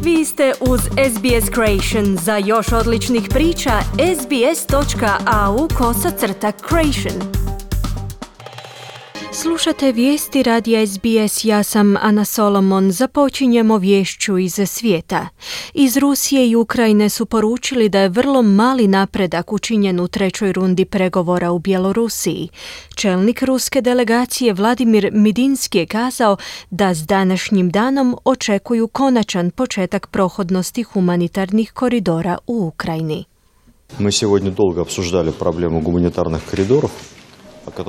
Vi ste uz SBS Creation. Za još odličnih priča, sbs.au/creation. Slušate vijesti radija SBS, ja sam Ana Solomon. Započinjemo viješću iz svijeta. Iz Rusije i Ukrajine su poručili da je vrlo mali napredak učinjen u trećoj rundi pregovora u Bjelorusiji. Čelnik ruske delegacije Vladimir Midinski je kazao da s današnjim danom očekuju konačan početak prohodnosti humanitarnih koridora u Ukrajini. Мы сегодня долго обсуждали проблему гуманитарных коридоров.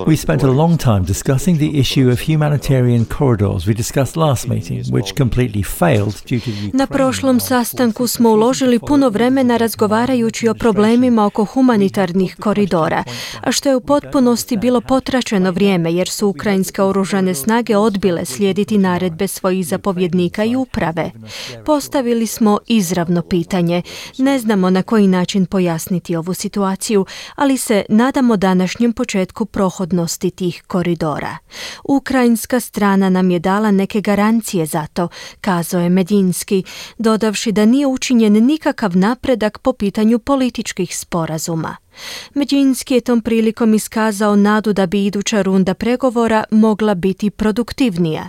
We spent a long time discussing the issue of humanitarian corridors we discussed last meeting, which completely failed due to the Ukraine. Na prošlom sastanku smo uložili puno vremena razgovarajući o problemima oko humanitarnih koridora, a što je u potpunosti bilo potračeno vrijeme jer su ukrajinske oružane snage odbile slijediti naredbe svojih zapovjednika i uprave. Postavili smo izravno pitanje. Ne znamo na koji način pojasniti ovu situaciju, ali se nadamo današnjem početku prohodnosti tih koridora. Ukrajinska strana nam je dala neke garancije za to, kazao je Medinski, dodavši da nije učinjen nikakav napredak po pitanju političkih sporazuma. Medinski je tom prilikom iskazao nadu da bi iduća runda pregovora mogla biti produktivnija.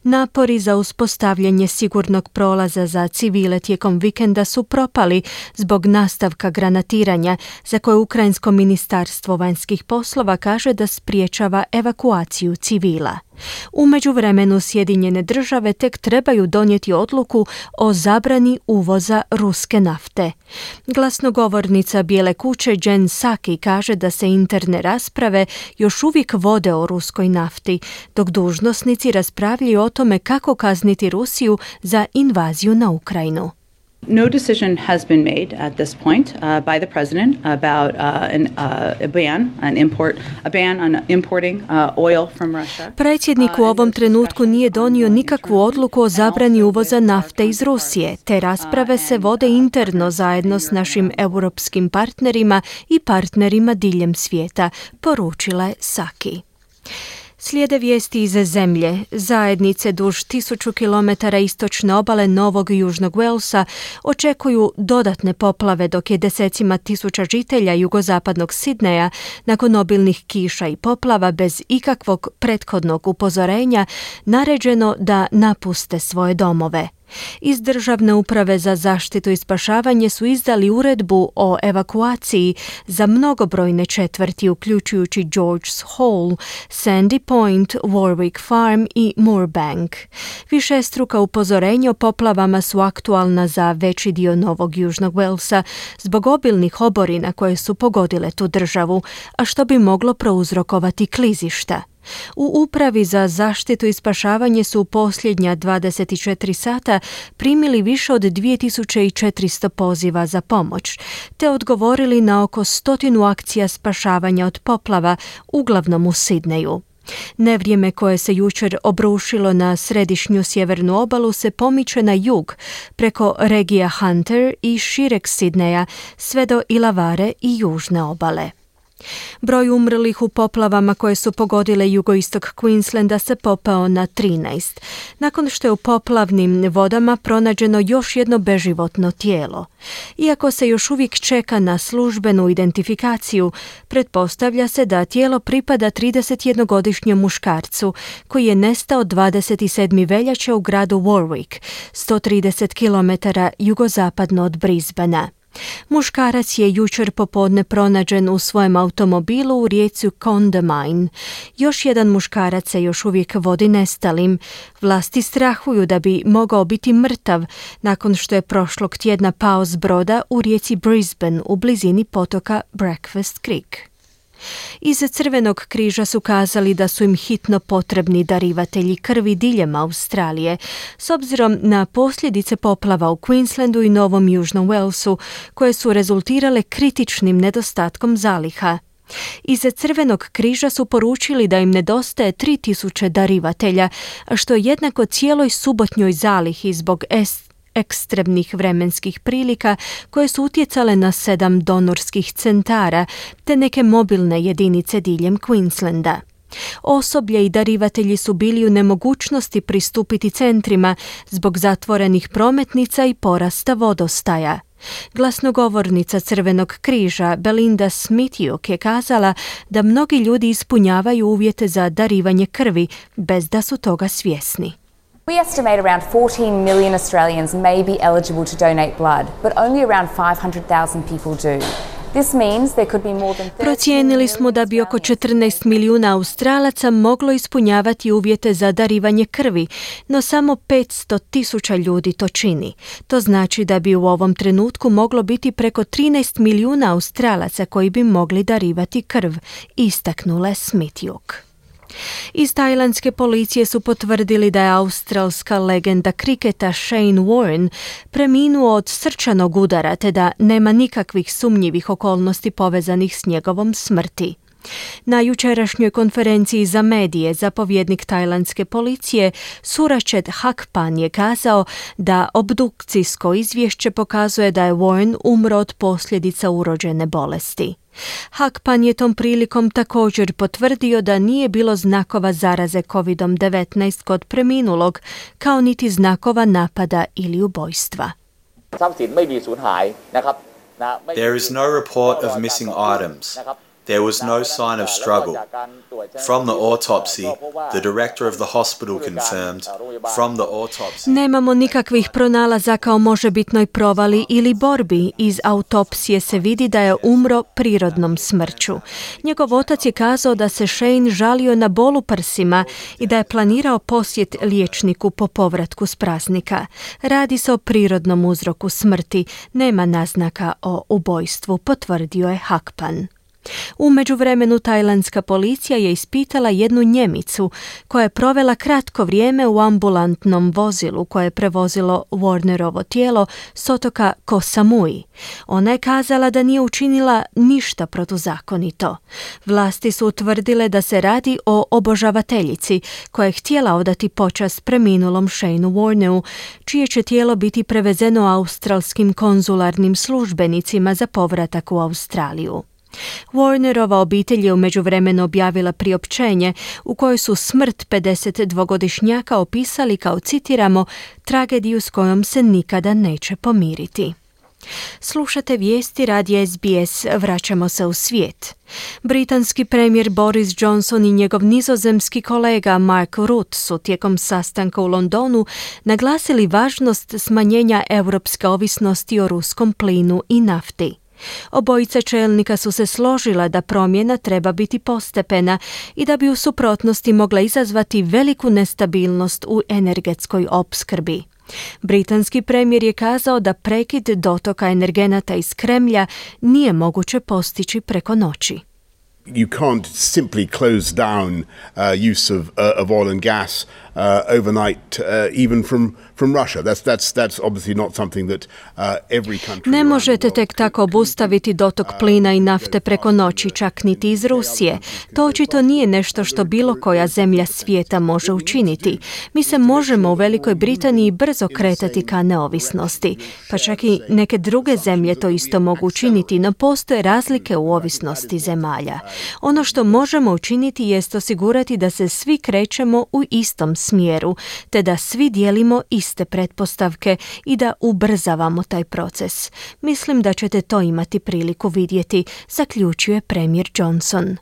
Napori za uspostavljanje sigurnog prolaza za civile tijekom vikenda su propali zbog nastavka granatiranja, za koje Ukrajinsko ministarstvo vanjskih poslova kaže da spriječava evakuaciju civila. U međuvremenu Sjedinjene države tek trebaju donijeti odluku o zabrani uvoza ruske nafte. Glasnogovornica Bijele kuće Jen Psaki kaže da se interne rasprave još uvijek vode o ruskoj nafti, dok dužnosnici raspravljaju o tome kako kazniti Rusiju za invaziju na Ukrajinu. No decision has been made at this point by the president about a ban on importing oil from Russia. Predsjednik u ovom trenutku nije donio nikakvu odluku o zabrani uvoza nafte iz Rusije. Te rasprave se vode interno zajedno s našim europskim partnerima i partnerima diljem svijeta, poručila je Psaki. Slijede vijesti iz zemlje. Zajednice duž 1000 km istočne obale Novog i Južnog Walesa očekuju dodatne poplave, dok je desecima tisuća žitelja jugozapadnog Sidneja nakon obilnih kiša i poplava bez ikakvog prethodnog upozorenja naređeno da napuste svoje domove. Iz Državne uprave za zaštitu i spašavanje su izdali uredbu o evakuaciji za mnogobrojne četvrti, uključujući George's Hall, Sandy Point, Warwick Farm i Moorebank. Višestruka upozorenja o poplavama su aktualna za veći dio Novog Južnog Walesa zbog obilnih oborina koje su pogodile tu državu, a što bi moglo prouzrokovati klizišta. U Upravi za zaštitu i spašavanje su u posljednja 24 sata primili više od 2400 poziva za pomoć, te odgovorili na oko 100 akcija spašavanja od poplava, uglavnom u Sidneju. Nevrijeme koje se jučer obrušilo na središnju sjevernu obalu se pomiče na jug, preko regija Hunter i šireg Sidneja, sve do Illawarre i južne obale. Broj umrlih u poplavama koje su pogodile jugoistok Queenslanda se popeo na 13, nakon što je u poplavnim vodama pronađeno još jedno beživotno tijelo. Iako se još uvijek čeka na službenu identifikaciju, pretpostavlja se da tijelo pripada 31-godišnjem muškarcu koji je nestao 27. veljače u gradu Warwick, 130 km jugozapadno od Brisbanea. Muškarac je jučer popodne pronađen u svojem automobilu u rijeci Condamine. Još jedan muškarac se još uvijek vodi nestalim. Vlasti strahuju da bi mogao biti mrtav nakon što je prošlog tjedna pao s broda u rijeci Brisbane u blizini potoka Breakfast Creek. Iz Crvenog križa su kazali da su im hitno potrebni darivatelji krvi diljem Australije, s obzirom na posljedice poplava u Queenslandu i Novom Južnom Walesu, koje su rezultirale kritičnim nedostatkom zaliha. Iz Crvenog križa su poručili da im nedostaje 3000 darivatelja, što je jednako cijeloj subotnjoj zalihi zbog ekstremnih vremenskih prilika koje su utjecale na 7 donorskih centara te neke mobilne jedinice diljem Queenslanda. Osoblje i darivatelji su bili u nemogućnosti pristupiti centrima zbog zatvorenih prometnica i porasta vodostaja. Glasnogovornica Crvenog križa Belinda Smitjuk je kazala da mnogi ljudi ispunjavaju uvjete za darivanje krvi bez da su toga svjesni. We estimate around 14 million Australians may be eligible to donate blood, but only around 500,000 people do. This means there could be more than 30 Procijenili smo da bi oko 14 milijuna Australaca moglo ispunjavati uvjete za darivanje krvi, no samo 500,000 ljudi to čini. To znači da bi u ovom trenutku moglo biti preko 13 milijuna Australaca koji bi mogli darivati krv, istaknula je Smitjuk. Iz tajlandske policije su potvrdili da je australska legenda kriketa Shane Warne preminuo od srčanog udara te da nema nikakvih sumnjivih okolnosti povezanih s njegovom smrti. Na jučerašnjoj konferenciji za medije zapovjednik tajlandske policije Surachet Hakpan je kazao da obdukcijsko izvješće pokazuje da je Warne umro od posljedica urođene bolesti. Hakpan je tom prilikom također potvrdio da nije bilo znakova zaraze COVID-19 kod preminulog, kao niti znakova napada ili ubojstva. There is no report of missing items. There was no sign of struggle. From the autopsy, the director of the hospital confirmed, from the autopsy... Nemamo nikakvih pronalazaka o možebitnoj provali ili borbi. Iz autopsije se vidi da je umro prirodnom smrću. Njegov otac je kazao da se Shane žalio na bol u prsima i da je planirao posjet liječniku po povratku s praznika. Radi se o prirodnom uzroku smrti. Nema naznaka o ubojstvu, potvrdio je Hakpan. U međuvremenu tajlandska policija je ispitala jednu Njemicu koja je provela kratko vrijeme u ambulantnom vozilu koje je prevozilo Warnerovo tijelo s otoka Koh Samui. Ona je kazala da nije učinila ništa protuzakonito. Vlasti su utvrdile da se radi o obožavateljici koja je htjela odati počast preminulom Shaneu Warneu, čije će tijelo biti prevezeno australskim konzularnim službenicima za povratak u Australiju. Warnerova obitelj je u međuvremenu objavila priopćenje u kojoj su smrt 52-godišnjaka opisali kao, citiramo, tragediju s kojom se nikada neće pomiriti. Slušate vijesti radija SBS, vraćamo se u svijet. Britanski premijer Boris Johnson i njegov nizozemski kolega Mark Rutte su tijekom sastanka u Londonu naglasili važnost smanjenja europske ovisnosti o ruskom plinu i nafti. Obojica čelnika su se složila da promjena treba biti postepena i da bi u suprotnosti mogla izazvati veliku nestabilnost u energetskoj opskrbi. Britanski premijer je kazao da prekid dotoka energenata iz Kremlja nije moguće postići preko noći. You can't simply close down use of oil and gas overnight, even from Russia. That's obviously not something that every country. Ne možete tek tako obustaviti dotok plina i nafte preko noći, čak niti iz Rusije. To očito nije nešto što bilo koja zemlja svijeta može učiniti. Mi se možemo u Velikoj Britaniji brzo kretati ka neovisnosti. Pa čak i neke druge zemlje to isto mogu učiniti, no postoje razlike u ovisnosti zemalja. Ono što možemo učiniti jest osigurati da se svi krećemo u istom smjeru, te da svi dijelimo iste pretpostavke i da ubrzavamo taj proces. Mislim da ćete to imati priliku vidjeti, zaključuje premijer Johnson.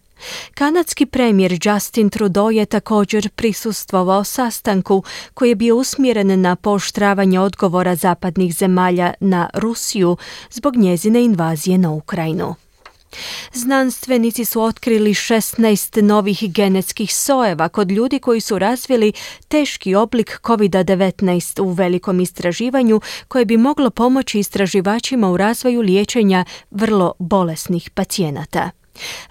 Kanadski premijer Justin Trudeau je također prisustvovao sastanku koji je bio usmjeren na pooštravanje odgovora zapadnih zemalja na Rusiju zbog njezine invazije na Ukrajinu. Znanstvenici su otkrili 16 novih genetskih sojeva kod ljudi koji su razvili teški oblik COVID-19 u velikom istraživanju koje bi moglo pomoći istraživačima u razvoju liječenja vrlo bolesnih pacijenata.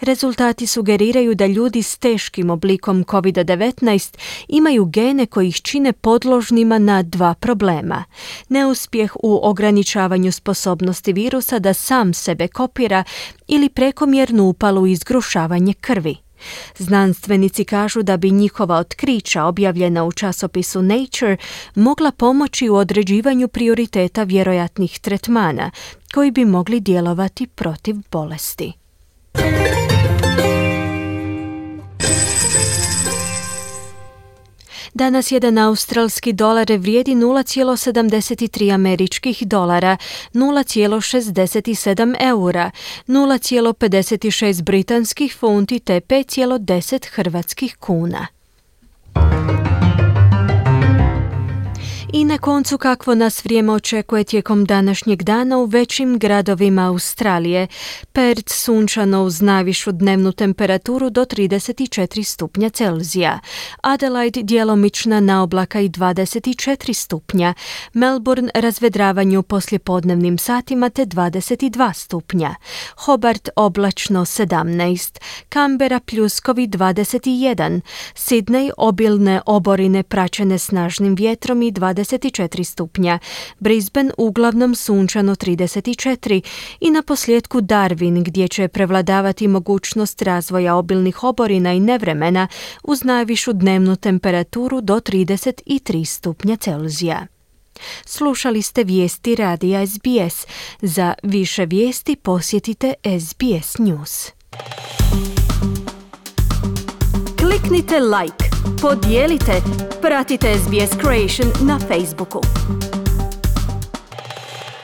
Rezultati sugeriraju da ljudi s teškim oblikom COVID-19 imaju gene koji ih čine podložnima na dva problema. Neuspjeh u ograničavanju sposobnosti virusa da sam sebe kopira ili prekomjernu upalu i zgrušavanje krvi. Znanstvenici kažu da bi njihova otkrića objavljena u časopisu Nature mogla pomoći u određivanju prioriteta vjerojatnih tretmana koji bi mogli djelovati protiv bolesti. Danas jedan australski dolar vrijedi 0,73 američkih dolara, 0,67 eura, 0,56 britanskih funti te 5,10 hrvatskih kuna. I na koncu kakvo nas vrijeme očekuje tijekom današnjeg dana u većim gradovima Australije. Perth sunčano uz najvišu dnevnu temperaturu do 34 stupnja Celzija. Adelaide djelomična naoblaka i 24 stupnja. Melbourne razvedravanje u poslijepodnevnim satima te 22 stupnja. Hobart oblačno 17. Canberra pljuskovi 21. Sydney obilne oborine praćene snažnim vjetrom i 24 stupnja, Brisbane uglavnom sunčano 34 i na posljedku Darwin gdje će prevladavati mogućnost razvoja obilnih oborina i nevremena uz najvišu dnevnu temperaturu do 33 stupnja Celzija. Slušali ste vijesti radija SBS. Za više vijesti posjetite SBS News. Kliknite like, podijelite, pratite SBS Creation na Facebooku.